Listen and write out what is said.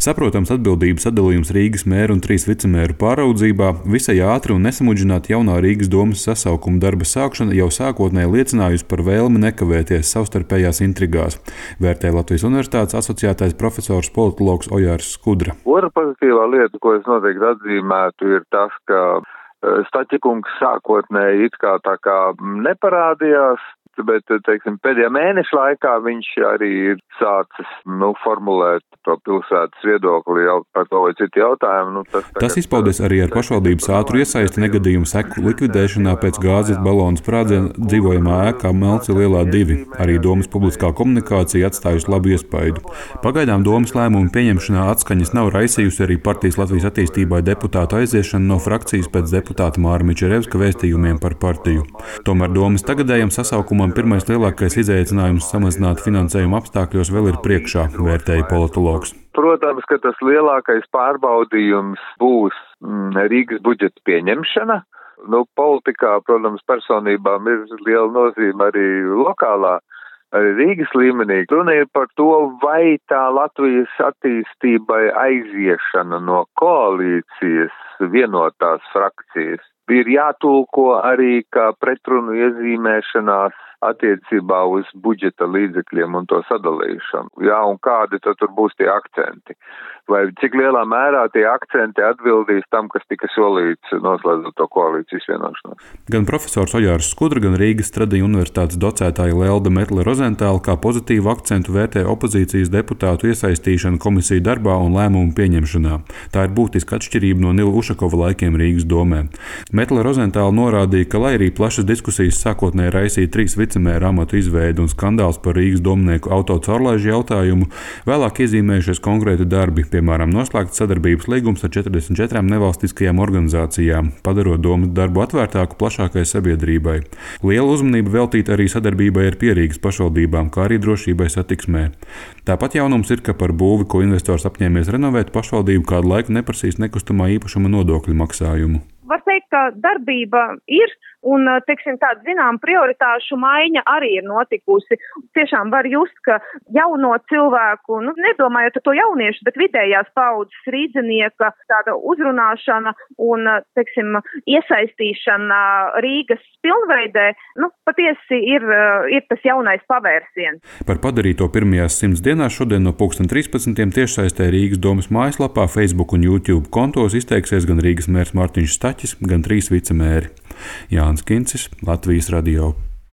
Saprotams atbildības sadalījums Rīgas mēra un 3 vicemēru pāraudzībā, visai ātri un nesamudžināti jaunā Rīgas domes sasaukuma darba sākšana jau sākotnēji liecinājusi par vēlmi nekavēties savstarpējās intrigās, vērtē Latvijas Universitātes asociētais profesors politologs Ojārs Skudra. Otra pozitīvā lieta, ko es noteikti atzīmētu, ir tas, ka Staķikungs sākotnēji it kā tā kā neparādījās, bet, teiksim, pēdējā mēneša laikā viņš arī ir sācis, formulēt to pilsētas viedokli jau par to vai citu jautājumu. Tas izpaudies arī ar pašvaldības ātru iesaisti negadījumu seku likvidēšanā pēc gāzes balonu sprādziena dzīvojamā ēkā Melci Lielā 2. Arī domas publiskā komunikācija atstājusi labu iespaidu. Pagaidām domas lēmumu pieņemšanā atskaņas nav raisījusi arī partijas Latvijas attīstībai deputātu aiziešana no frakcijas pēc deputāta Māra Mičerevska vēstījumiem par partiju. Tomēr domas tagadējam sasaukumam pirmais lielākais izaicinājums samazināt finansējumu apstākļos vēl ir priekšā, vērtēja politologs. Protams, ka tas lielākais pārbaudījums būs Rīgas budžeta pieņemšana. Politikā, protams, personībām ir liela nozīme arī lokālā, arī Rīgas līmenī. Runa ir par to, vai tā Latvijas attīstībai aiziešana no koalīcijas vienotās frakcijas ir jātulko arī kā pretrunu iezīmēšanās attiecībā uz budžeta līdzekļiem un to sadalīšanu. Jā, un kādi tad tur būs tie akcenti? Vai cik lielā mērā tie akcenti atbildīs tam, kas tika solīts noslēdzot to koalīcijas vienošanos? Gan profesors Ojārs Skudra, gan Rīgas Tradiņu universitātes docētāja Lelda Metle-Rozentāla kā pozitīvu akcentu vērtē opozīcijas deputātu iesaistīšanu komisiju darbā un lēmumu pieņemšanā. Tā ir būtiska atšķirība no Nila Ušakova laikiem Rīgas domē. Metle-Rozentāla norādīja, ka lai arī plašas diskusijas sākotnēji raisīja 3 vicemēra amatu izveidi un skandāls par Rīgas domnieku autocaurlaižu jautājumu, vēlāk iezīmējušies konkrēti darbi, piemēram, noslēgts sadarbības līgums ar 44 nevalstiskajām organizācijām, padarot domu darbu atvērtāku plašākai sabiedrībai. Liela uzmanība veltīta arī sadarbībai ar Pierīgas pašvaldībām, kā arī drošībai satiksmē. Tāpat jaunums ir, ka par būvi, ko investors apņēmies renovēt, pašvaldība kādu laiku neprasīs nekustamā īpašuma nodokļu maksājumu. Var teikt, ka darbība ir un, tāda zinām prioritāšu maiņa arī ir notikusi. Tiešām var just, ka jauno cilvēku, nedomājot to jauniešu, bet vidējās paudzes rīdzinieka tāda uzrunāšana un, iesaistīšana Rīgas pilnveidē, patiesi ir tas jaunais pavērsiens. Par padarīto pirmajās 100 dienās šodien no 13:00 tiešsaistē Rīgas domas mājaslapā, Facebook un YouTube kontos izteiksies gan Rīgas mērs Mārtiņš Staķis, gan 3 vicemēri. Jānis Kincis, Latvijas radio.